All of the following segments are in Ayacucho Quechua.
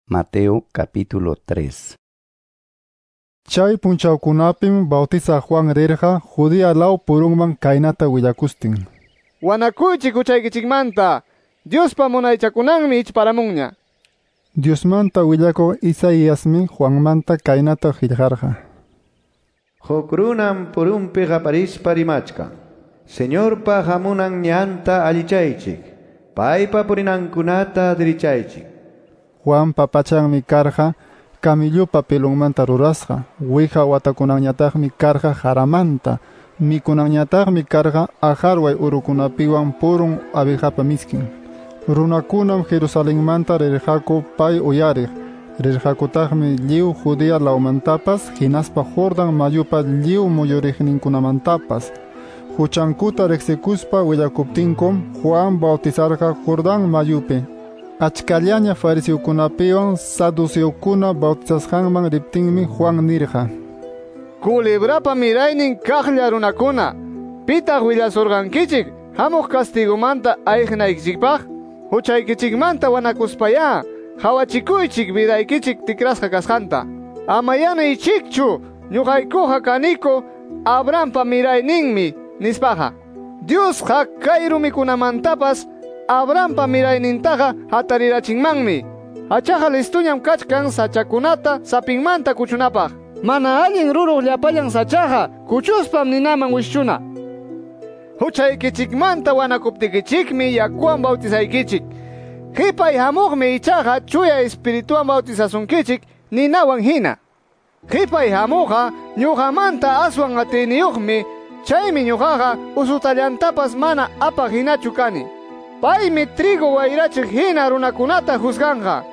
Mateo capítulo 3. Chay punchawkunapim Bautizaq Juan rirqa Judea law purunman kaynata willakustin. Wanakuychik huchaykichikmanta, Diospa munaychakunanmi ichparamunña. Diosmanta willakuq Isaiasmi Juanmanta kaynata qillqarqa. Huk runam purunpi qaparispa rimachkan. Señorpa hamunan ñanta allichaychik. Paypa purinankunata dirichaychik. Juanpa pachanmi karqa camillupa pelonmanta rurasqa, wija watakunanñataqmi karqa jaramanta, mikunanñataqmi karqa ajarway urukunapiwan purun abejapa miskin. Runakunam Jerusalenmanta rirqaku pay uyariq, rirqakutaqmi lliw Judea lawmantapas hinaspa Jordan mayupa lliw muyuriqninkunamantapas. Huchankuta riqsikuspa willakuptinkum Juan bautizarqa Jordán mayupi. Achkallaña fariseokunapiwan saduceokuna bautizasqanman riptinmi Juan nirqa: Culebrapa miraynin kaqlla runakuna, pitaq willasurqankichik hamuq castigomanta ayqinaykichikpaq? Huchaykichikmanta wanakuspayá, hawachikuychik vidaykichik tikrasqa kasqanta. Amayá niychikchu, ñuqaykuqa kaniku Abrahampa mirayninmi nispaqa. Diosqa kay rumikunamantapas Abrahampa miraynintaqa hatarirachinmanmi. Hachaqa listuñam kachkan sachakunata sapinmanta kuchunapaq. Mana allin ruruq llapallan sachaqa kuchuspam ninaman wischuna. Huchaykichikmanta wanakuptikichikmi yakuwan bautizaykichik. Qhipay hamuqmi ichaqa chuya espirituwan bautizasunkichik ninawan hina. Qhipay hamuqqa ñuqamanta aswan atiyniyuqmi, chaymi ñuqaqa usutallantapas mana apaq hinachu kani. Paymi trigo wayrachiq hina runakunata juzganqa.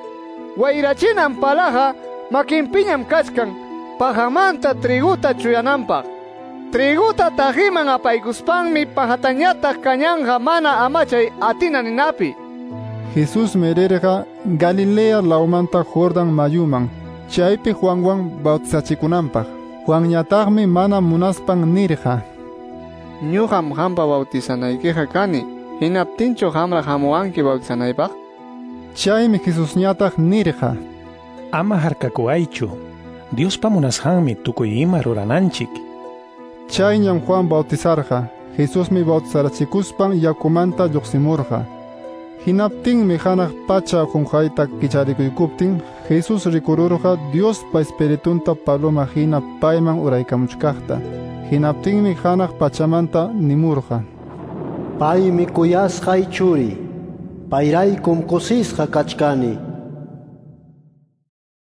Wayrachinan palaqa makinpiñam kachkan pajamanta triguta chuyananpaq. Triguta tajiman apaykuspanmi pajatañataq kañanqa mana amachay atina ninapi. Jesusmi rirqa Galilea lawmanta Jordan mayuman, chaypi Juanwan bautizachikunanpaq. Juanñataqmi mana munaspan nirqa: Ñuqam qampa bautizanaykiqa kani, hinaptinchu qamraq hamuwanki bautizanaypaq? Chaymi Jesusñataq nirqa: Ama harkakuwaychu, Diospa munasqanmi tukuy ima rurananchik. Chayñam Juan bautizarqa. Jesusmi bautizarachikuspan yakumanta lluqsimurqa. Hinaptinmi hanaq pacha qunqayta kicharikuykuptin Jesús rikururqa Diospa espiritunta paloma hina payman uraykamuchkaqta. Hinaptinmi hanaq pachamanta nimurqa: Paymi kuyasqay churi, payraykum kusisqa kachkani.